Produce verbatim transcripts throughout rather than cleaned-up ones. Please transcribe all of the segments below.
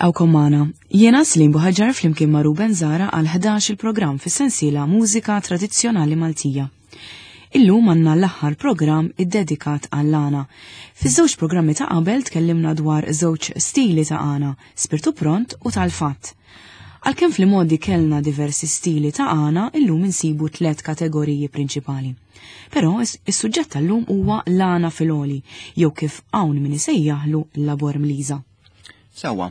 Nilqgħukom magħna. Jiena Slim Buħaġar flimkien ma' Ruben Zara għal ħdax il-programm fis-sensiela Mużika Tradizzjonali Maltija. Illum għandna l-aħħar programm iddedikat għall-għana. Fiż-żewġ programmi ta' qabel tkellimna dwar żewġ stili ta' għana, spirtu pront u tal-fatt. Għalkemm fl-modi kellna diversi stili ta' għana, illum insibu tliet kategoriji prinċipali. Però is-suġġett tal-lum huwa l-għana fil-għoli, jew kif hawn min isejjaħlu l-labor mliża. Sewa,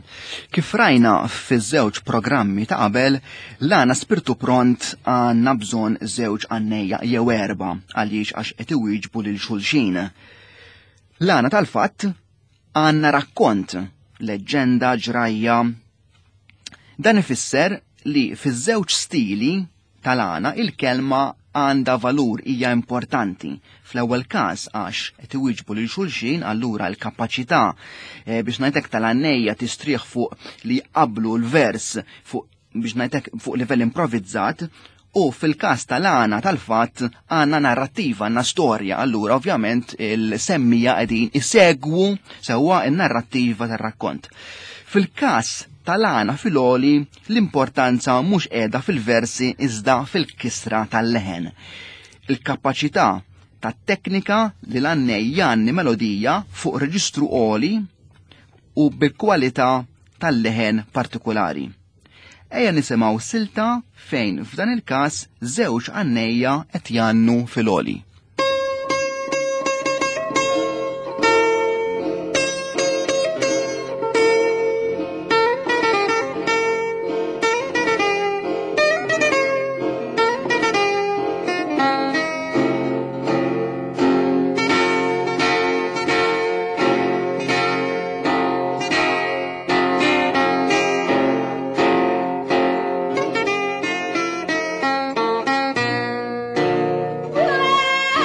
kif rajna fiż-żewġ programmi ta' qabel, l-għana spirtu pront għandna bżonn żewġ għannejja jew erba' għaliex għax qed iwieġbu lil xulxin. L-għana tal-fatt għandna rakkont, leġġenda, ġrajja. Dan ifisser li fiż-żewġ stili tal-għana il-kelma għandha valur, hija importanti. Fl-ewwel każ għax qed iwieġbu lil xulxin, allura l-kapaċità eh, biex ngħidlek tal-għannejja tistrieħ fuq li jqablu l-vers fuq biex ngħidlek fuq livell improvizzat, u fil-każ tal-għana tal-fatt għandna narrattiva, għandna storja, allura ovvjament il-semmija qegħdin isegwu sewwa n-narrattiva tar-rakkont. Fil-każ tal-għana fil-għoli l-importanza mhux qiegħda fil-versi iżda fil-kisra tal-leħen. Il-kapaċità tat-teknika li l-għannej jgħanni melodija fuq reġistru għoli u bil-kwalità tal-leħen partikolari. Ejja nisimgħu silta fejn f'dan il-każ żewġ għannejja qed jgħannu fil-għoli. Whoa!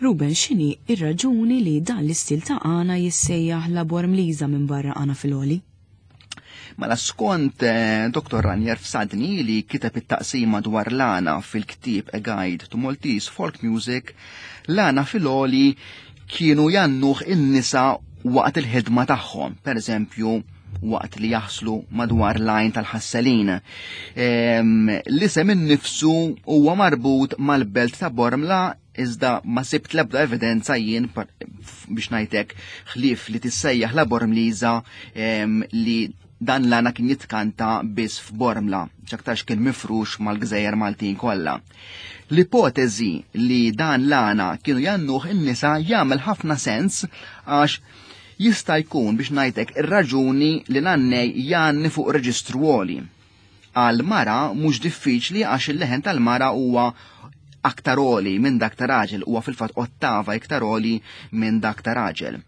Ruben, x'inhi ir-raġuni li dan l-istil ta' għana jissejjaħ la Bormliża minn barra għana fil-għoli? Mela skont eh, Doktor Ranier Fsadni li kiteb it-taqsima dwar l-għana fil-ktieb A Guide to Maltese Folk Music, l-għana fil-għoli kienu jannuh in-nisa waqt il-ħidma tagħhom, per eżempju waqt li jaħslu madwar l-għajn tal-ħasselin. L-isem innifsu huwa marbut mal-belt ta' Bormla, iżda ma sibt l-ebda evidenza jien biex ngħidlek ħlief li tissejjaħ la Bormliża li dan l-għana kien jitkanta biss f'Bormla, x'aktarx kien mifrux mal-gżejjer Maltin kollha. L-ipotezi li dan l-għana kienu jannuh in-nisa jagħmel ħafna sens għax jista' jkun biex ngħidlek ir-raġuni li l-għannej jgħanni fuq reġistru għoli. Għal mara mhux diffiċli għax il-leħen tal-mara huwa aktar għoli minn dak ta' raġel, huwa fil-fatt ottava iktar għoli minn dak ta' raġel.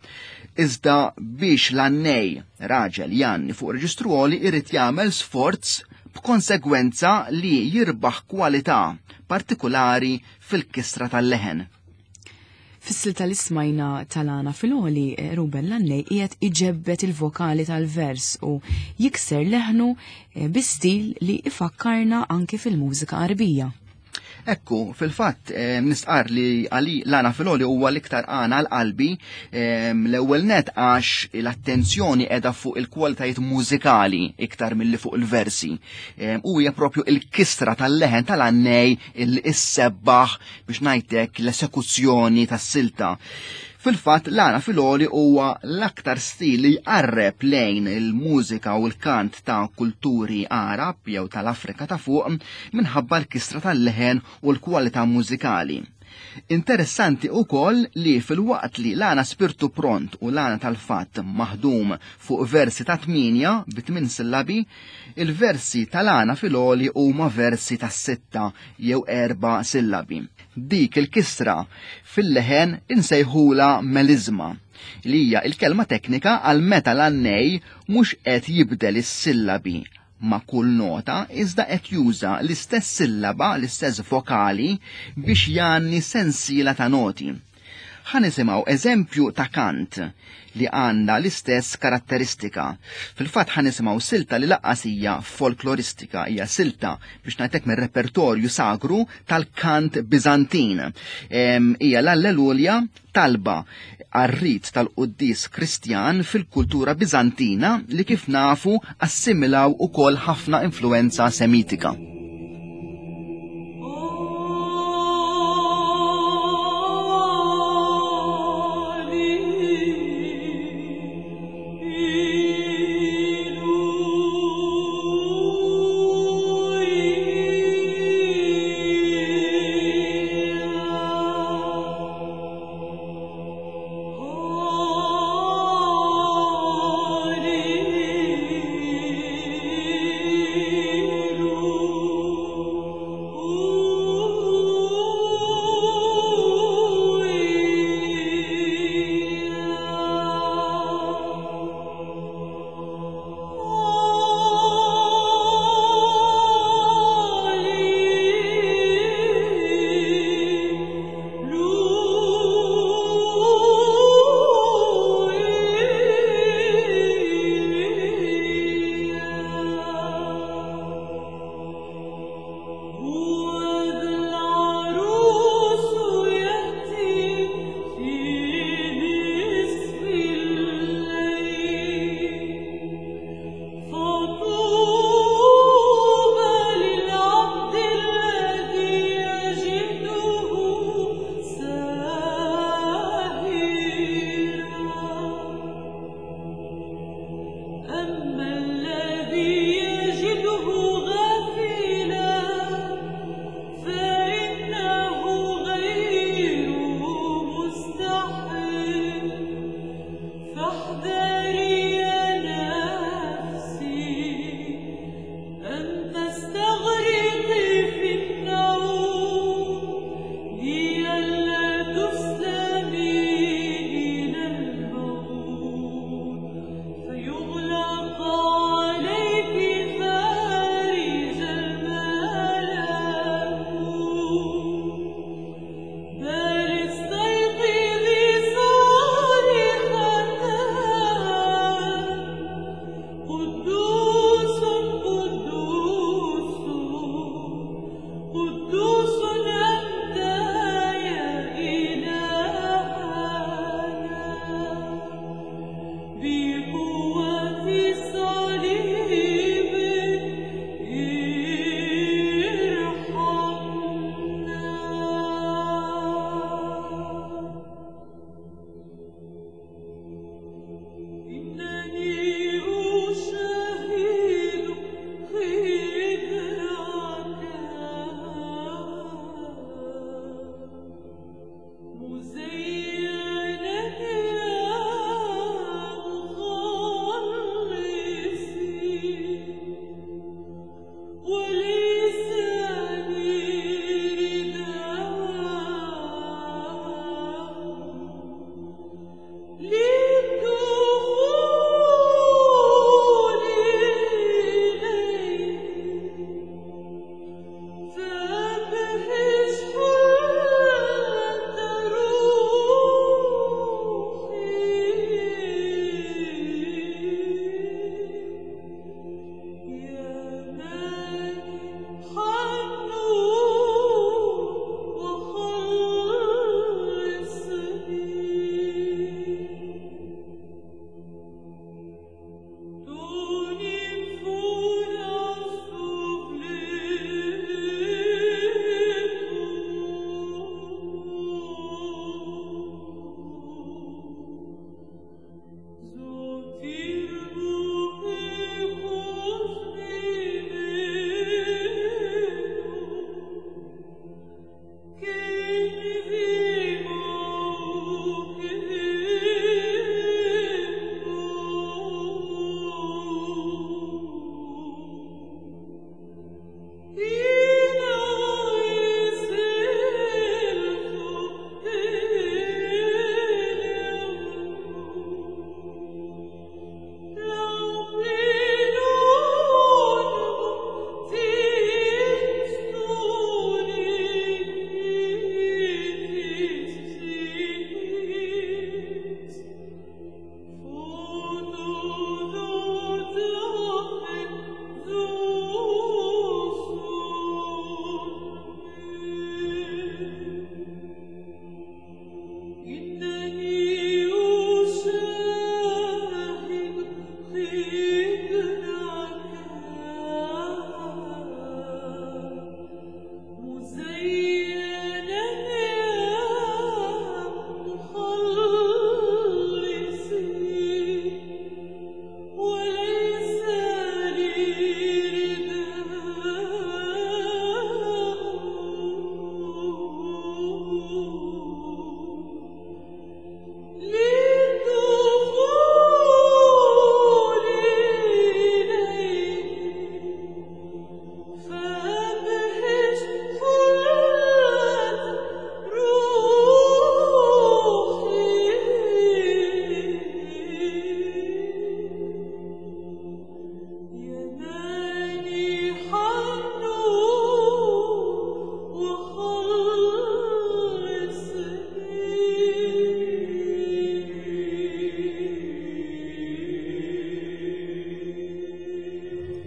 Iżda biex l-għannej raġel jgħanni fuq reġistru għoli irid jagħmel sforz b'konsegwenza li jirbaħ kwalità partikulari fil-kistra tal-leħen. Fis-silta li smajna tal-għana fil-għoli, Ruben, l-għannej qiegħed iġebbet il-vokali tal-vers u jikser leħnu bi stil li ifakkarna anki fil-mużika Għarbija. Ekku, fil-fatt, nistqar li għali l-għana fil-għoli huwa l-iktar għana għal-qalbi, l-ewwel net għax l-attenzjoni qiegħda fuq il-kwalitajiet mużikali iktar milli fuq il-versi. U hija propju il-kistra tal-leħen tal-għannej il issebbaħ biex ngħidlek l-esekuzzjoni tas-silta. Fil-fatt, l-għana fil-għoli huwa l-aktar stil li jqarreb lejn il-mużika u l-kant ta' kulturi Arab jew tal-Afrika ta' fuq minħabba l-kistra tal-leħen u l-kwalità mużikali. Interessanti ukoll li fil-waqt li l-għana spirtu pront u l-għana tal-fatt maħdum fuq versi ta' tminja bi tmien sillabi, il-versi tal-għana fil-għoli huma versi ta' sitta jew erba' sillabi. Dik il-kistra fil-leħen insejħula melizma, li hija il-kelma teknika għal meta l-għannej mhux qed jibdel is-sillabi ma' kull nota, iżda qed juża l-istess sillaba, l-istess vokali biex jgħanni sensiela ta' noti. Ħa nisimgħu eżempju ta' kant li għandha l-istess karatteristika. Fil-fatt ħa nisimgħu silta li laqqas hija folkloristika, hija silta biex ngħidlek mir-repertorju sagru tal-kant Biżantin. Hija l-Alleluja, talba għar-rit tal-quddis Kristjan fil-kultura Biżantina li kif nafu assimilaw ukoll ħafna influenza Semitika. Alleluia.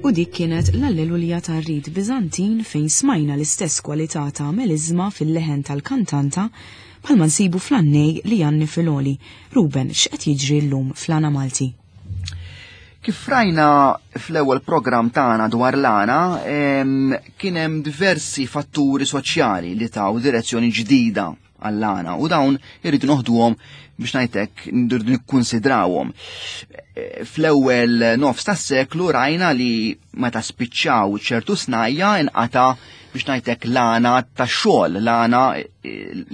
U dik kienet l-Alleluja tar-Rit Biżantin fejn smajna l-istess kwalità ta' melizma fil-leħen tal-kantanta bħalma nsibu fl-annej li janni fil-oli. Ruben, x'qed jiġri llum fl-għana Malti? Kif rajna fl-ewwel programm tagħna dwar l-għana, kien hemm diversi fatturi soċjali li taw direzzjoni ġdida għall-għana u dawn irridu noħduhom biex ngħidlek irridu nikkunsidrawhom. Fl-ewwel nofs tas-seklu rajna li meta spiċċaw ċertu snajja inqata' biex ngħidlek l-għana tax-xogħol, l-għana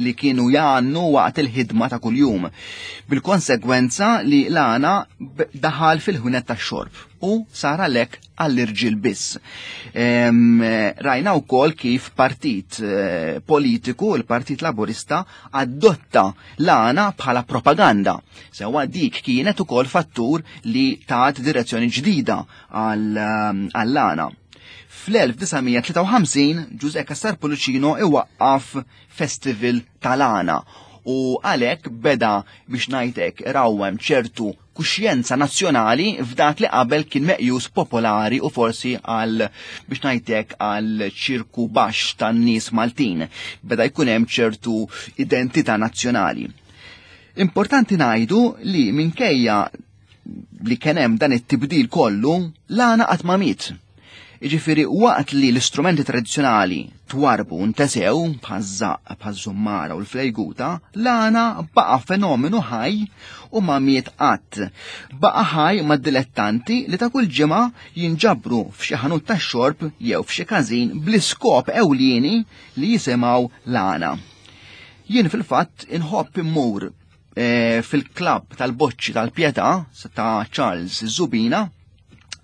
li kienu jgħannu waqt il-ħidma ta' kuljum. Bil-konsegwenza li l-għana daħal fil-ħwienet tax-xorb u sar għalhekk għall-irġiel biss. Rajna wkoll kif partit politiku, il-Partit Laburista, adotta l-għana bħala propaganda. Sewa dik kienet ukoll fattur li tat direzzjoni ġdida għall-għana. Fl-elf disa' mija tlieta u ħamsin Ġużè Cassar Pullicino iwaqqaf festival tal-għana u għalhekk beda biex ngħidlek rawwem ċertu kuxjenza nazzjonali f'dak li qabel kien meqjus popolari u forsi għal biex ngħidlek għal ċirku baxx tan-nies Maltin. Beda jkun hemm ċertu identità nazzjonali. Importanti ngħidu li minkejja li kien hemm dan it-tibdil kollu, l-għana qatt ma miet. Jiġifieri waqt li l-istrumenti tradizzjonali twarbu ntesew bħaż-żaqq, bħaż-żummara u l-flejguta, l-għana baqa' fenomenu ħaj u ma miet qatt. Baqa' ħaj mad-dilettanti li ta' kull ġimgħa jinġabru f'xi ħanut tax-xorb jew f'xi każin bl-iskop ewlieni li jisimgħu l-għana. Jien fil-fatt inħobb immur, eh, fil-klabb tal-boċċi tal-Pietà ta' Charles Zubina,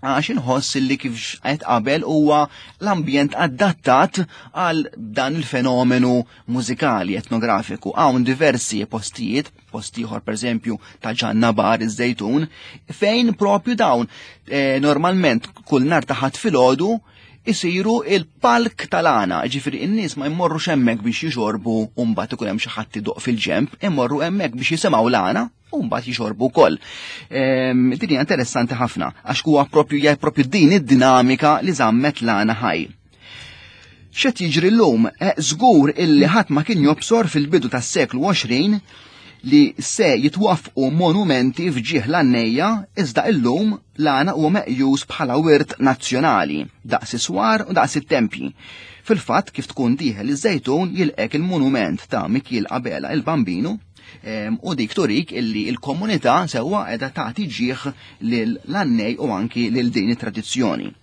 għax inħoss li kif qed qabel huwa l-ambjent adattat għal dan il-fenomenu mużikali etnografiku. Hawn diversi postijiet, post ieħor pereżempju ta' Ġanna Bar iż-Żejtun, fejn propju dawn, eh, normalment kull nhar ta' Ħadd filgħodu isiru il-palk tal-għana, ġifieri n-nies ma jmorrux hemmhekk biex jixorbu u mbagħad ikun hemm xi ħadd idoq fil-ġemp, imorru hemmhekk biex jisimgħu l-għana u mbagħad jixorbu wkoll. Ehm, din hija interessanti ħafna għax huwa propju hija propju din id-dinamika li żammet l-għana ħaj. X'qed jiġri llum? Eh, żgur illi ħadd ma kien jobsor fil-bidu tas-seklu għoxrin li se jitwaffqu monumenti f'ġieħ l-għannejja, iżda illum l-għana huwa meqjus bħala wirt nazzjonali, daqs is-swar u daqs it-tempji. Fil-fatt kif tkun dieħel iż-Żejtun jilqek il-monument ta' Mikiel Abela il-Bambinu, em, u dik turik illi l-komunità sewwa qiegħda tagħti ġieħ lil l-għannej u anki lil din it-tradizzjoni.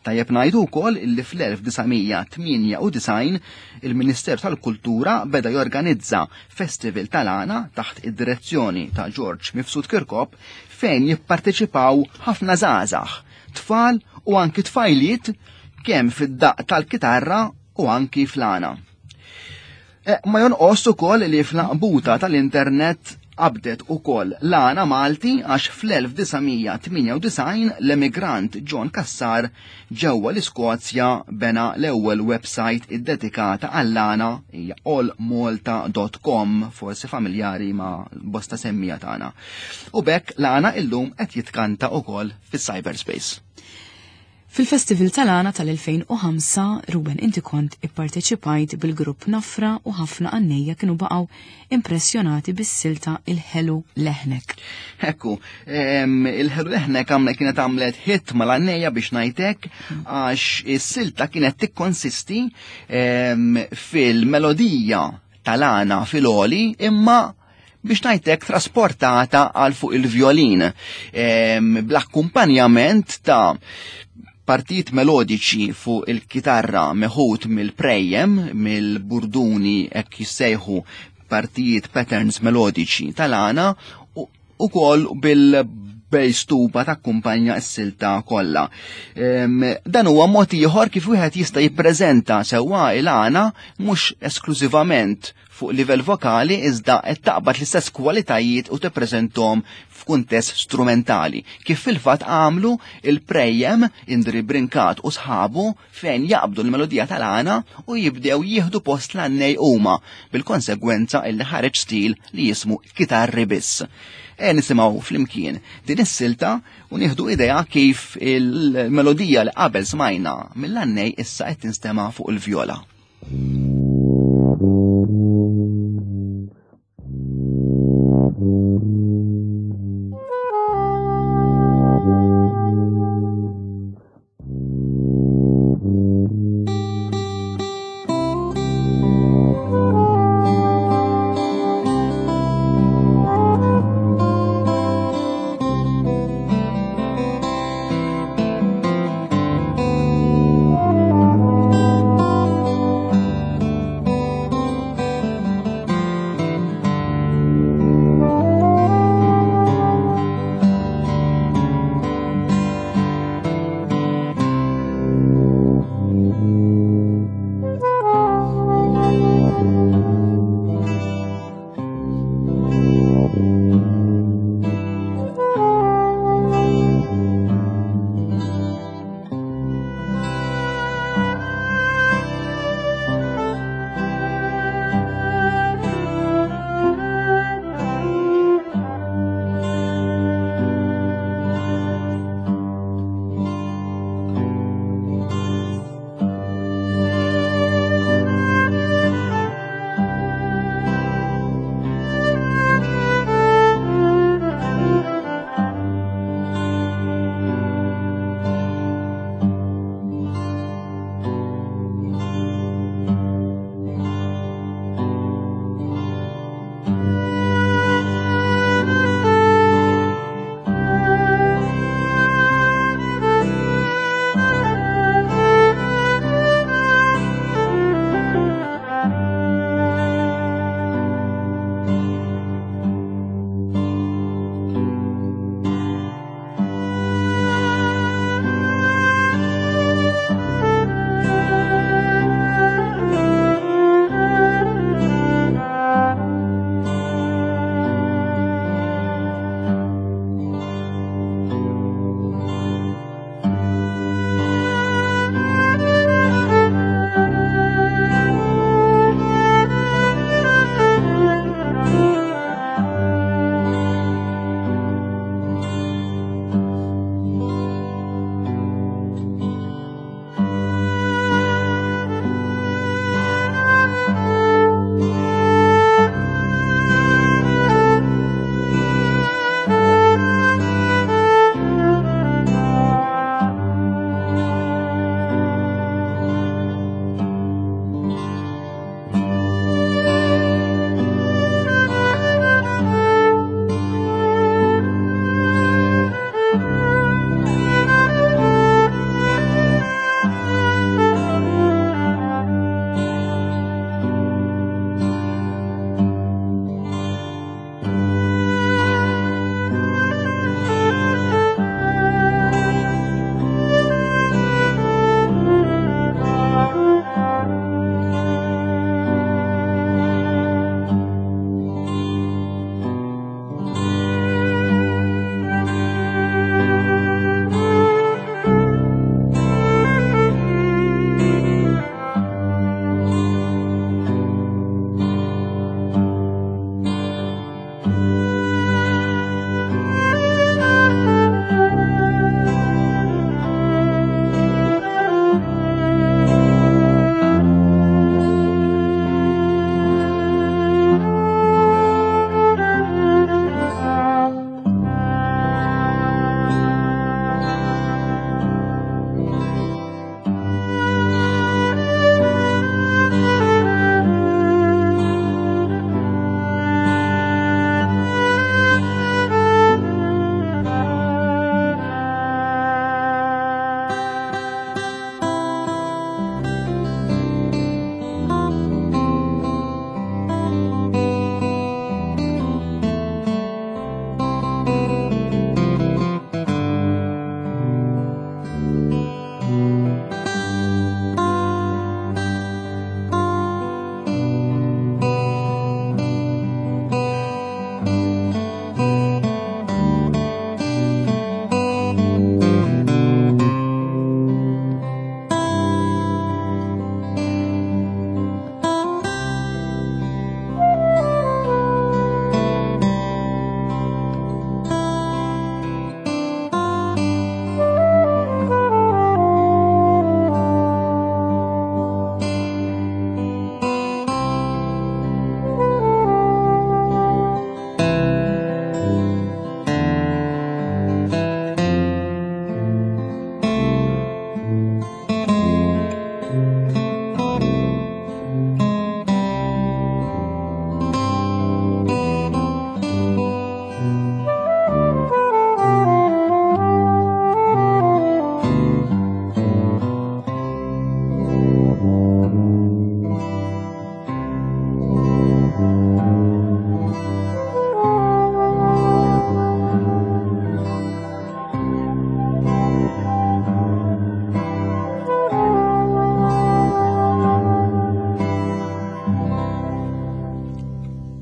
Tajjeb ngħidu wkoll illi fl-elf disa' mija tmienja u disgħin il-Ministeru tal-Kultura beda jorganizza Festival tal-Għana taħt id-direzzjoni ta' George Mifsud Kirkop fejn jipparteċipaw ħafna żgħażagħ, tfal u anki tfajliet kemm fid-daqq tal-kitarra u anki fl-għana. E, ma jonqos ukoll li fl-qbuta tal-internet qabdet ukoll l-għana Malti għax fl-elf disa' mija tmienja u disgħin l-emigrant John Cassar ġewwa l-Iskozja bena l-ewwel website iddedikata għall-għana, hija all malta dot com, forsi familjari ma' bosta semmija tagħna. U bekk l-għana illum qed jitkanta ukoll fis-cyberspace. Fil-Festival tal-Għana tal-elfejn u ħamsa, Ruben, inti kont ipparteċipajt bil-grupp Nafra u ħafna għannejja kienu baqgħu impressjonati bis-silta Il-Ħelu Leħnek. Ekku, em, Il-Ħelu Leħnek għamle kienet għamlet hit mal-għannejja biex ngħidlek, għax is-silta kienet tikkonsisti, em, fil-melodija tal-għana fil-oli imma biex ngħidlek trasportata għal fuq il-violin, em, bl-akkumpanjament ta' partijiet melodiċi fuq il-kitarra meħud mill-prejjem, mill-burduni hekk jissejħu partijiet patterns melodiċi tal-għana u, u kol bil-bass tuba takkumpanja s-silta kollha. Em, dan huwa mod ieħor kif wieħed jista' jippreżenta sewwa il-għana mhux esklużivament fuq livell vokali iżda qed taqbad l-istess kwalitajiet u tippreżenthom f'kuntest strumentali, kif fil-fatt għamlu il-prejjem Indri Brincat u sħabu fejn jaqbdu l-melodija tal-għana u jibdew jieħdu post l-għannej huma, bil-konsegwenza illi ħareġ stil li jismu kitarri biss. E nisimgħu flimkien din is-silta u nieħdu idea kif il-melodija li qabel smajna mill-għannej issa qed tinstema' fuq il-vjola. Thank you.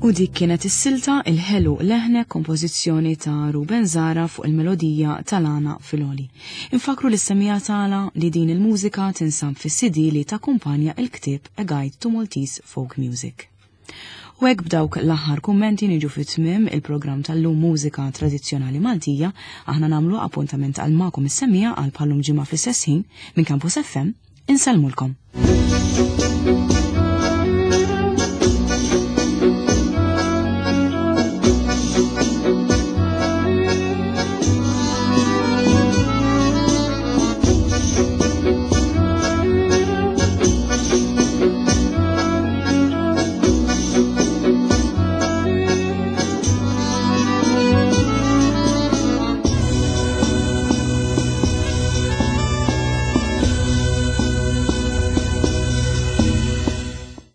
U dik kienet is-silta Il-Ħelu Leħnek, kompożizzjoni ta' Ruben Zara fuq il-melodija tal-Għana Filoli. Infakru lis-semmiegħa tagħna li din il-mużika tinsab fis-C D li takkumpanja il-ktieb A Guide to Maltese Folk Music. U hekk, b'dawk l-aħħar kummenti, niġu fit tmiem il-programm tal-lum, Mużika Tradizzjonali Maltija. Aħna nagħmlu appuntament għal magħkom is-semmiegħa għal bħal-lum ġimgħa fl-istess ħin minn Campus F M. Insellmulkom.